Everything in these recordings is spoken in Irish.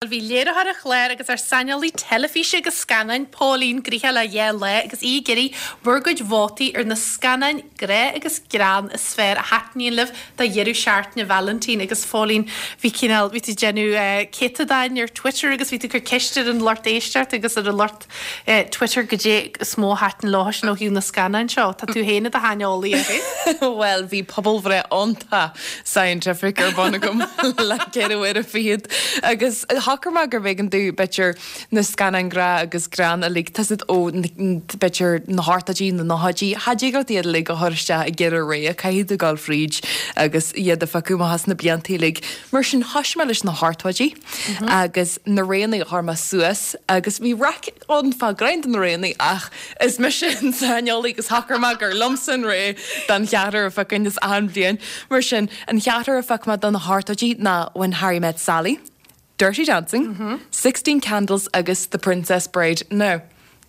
Bhí léiritheoir an chláir agus ár saineolaí teilifíse agus scannáin, Póilín, gnoitheach le dhá lá agus í ag iarraidh bhur gcuid vótaí ar na scannáin grá agus greann is fearr a thaitníonn libh do dheireadh seachtaine Vailintín agus Phóilín, bhí cineál, bhí tú ag déanamh céatadáin ar Twitter agus bhí tú ag cur ceist ar an lucht éisteachta agus ar an lucht Twitter goidé is mó a thaitin leo sin ó thaobh na scannáin seo. Tá tú féin i do shaineolaí air. Bhuel, bhí pobalbhreith iontach scientific ar bun agam le 24 uaire agus shocair mé gurbh éigean domh, b'fhéidir, na scannáin grá agus greann uilig, tá a fhios agat ó b'fhéidir na hochtóidí, na nóchaidí, cha dtig leat iad uilig a chur isteach i gceithre rogha, caithfidh tú dul fríd agus iad a phiocadh amach as na blianta uilig. Mar sin, thoisigh mé leis na hochtóidí. agus na roghanna a chuir mé suas agus bhí raic ann fá roinnt de na roghanna ach is mise an saineolaí agus shocair mé gur liomsa an rogha don cheathrar a phiocfainn as achan bhliain. Mar sin, an cheathrar a phioc mé do na hochtóidí ná When Harry Met Sally, Dirty Dancing, 16 Candles agus The Princess Bride. Now,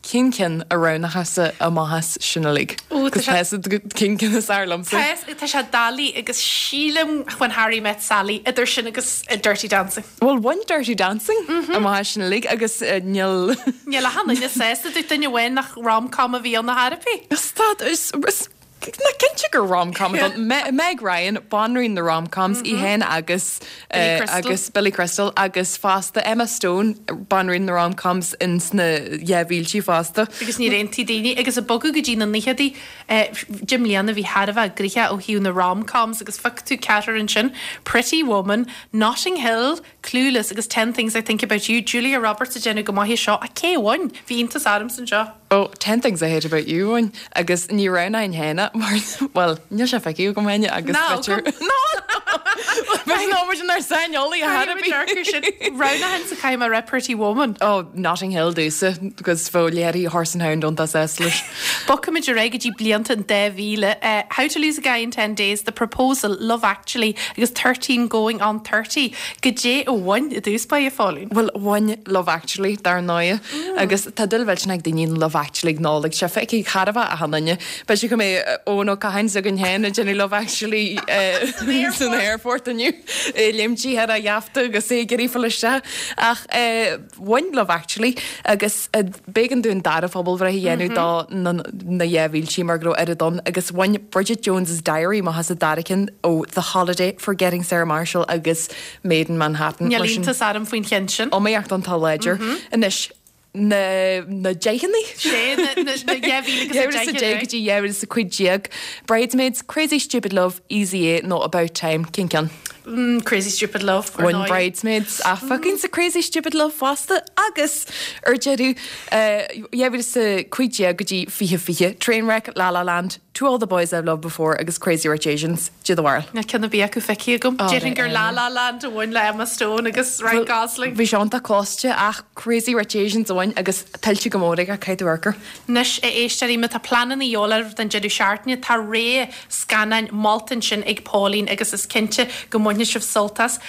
Cén ceann a roghnófása amach as sin uilig? Agus tá 'fhios agat cén ceann is fearr liomsa. Tá, tá sé doiligh agus sílim When Harry Met Sally, idir sin agus Dirty Dancing. Bhuel, bhain Dirty Dancing amach as sin uilig agus níl. Níl achan duine sásta, dúirt duine amháin nach rom-com a bhí ann ar chor ar bith. Stad, is, is. Nach cinnte gur rom-com atá ann. Meg Ryan, banríon na rom-coms, í féin agus agus Billy Crystal agus fosta Emma Stone, banríon na rom-coms in sna 2000idí fosta. Agus níor aontaigh daoine. Agus ag bogadh go dtí na naochadaí, 10 mbliana bhí thar a bheith gnoitheach ó thaobh na rom-coms agus phioc tú ceathrar ansin, Pretty Woman, Notting Hill, Clueless agus Ten Things I Think About You, Julia Roberts ag déanamh go maith anseo ach cé a bhain? Bhí iontas ormsa anseo. Oh, Ten Things I Hate About You a bhain agus ní roghnóinn féin é mar, bhuel, níl sé feicthe agam féin agus Ná agam. Ná! B'fhéidir nach muid inár saineolaí ar chor ar bith. Roghnóchainnse caithfidh mé a rá Pretty Woman. Oh, Notting Hill domhsa agus bheadh léirithe Horse and Hound iontach sásta leis. Bogfaimid ar aghaidh go dtí blianta an 2000. How to Lose a Guy in Ten Days, The Proposal, Love Actually agus 13 Going on 30. Goidé a bhain i dtús báire, a Phóilín? Bhuel, bhain Love Actually, dar ndóigh. Agus tá dúil mhillteanach ag daoine in Love Actually ag Nollaig. Sé feicthe ag char a bheith achan duine. B'fhéidir go mbeidh Eoin Ó Catháin s'againn féin ag déanamh Love Actually san aerfort inniu. Léimtí thar a gheafta agus é ag iarraidh fáil isteach. Ach bhain Love Actually agus b'éigean dúinn dara phobalbhreith a dhéanamh do na 2000idí mar go raibh oiread ann agus bhain Bridget Jones's Diary amach as an dara ceann ó The Holiday, Forgetting Sarah Marshall agus Maid in Manhattan. Níl iontas orm faoin cheann sin. Iomaíocht iontach láidir. Anois, na na deicheanna? Sé, na na 2010 2010 go dtí 2015. Bridesmaids, Crazy Stupid Love, Easy A nó About Time, cén ceann? Crazy Stupid Love, ar ndóigh. Bhain Bridesmaids ach phiocfainnse Crazy Stupid Love fosta agus ar deireadh, 2015 go dtí 2020, Trainwreck, La La Land, To All the Boys I've Loved Before agus Crazy Rich Asians, Cad é do bharúil. Níl ceann ar bith acu feicthe agam. Déarfainn gur La La Land a bhain le Emma Stone agus Ryan Gosling. Bhí sé iontach cloiste ach Crazy Rich Asians a bhain agus tuillte go mór aige, caithfidh tú amharc air. Anois, a éisteoirí, má tá pleananna de dhíobháil oraibh don deireadh seachtaine, tá rogha scannáin molta ansin ag Pauline agus is cinnte go mbainfidh sibh sult as.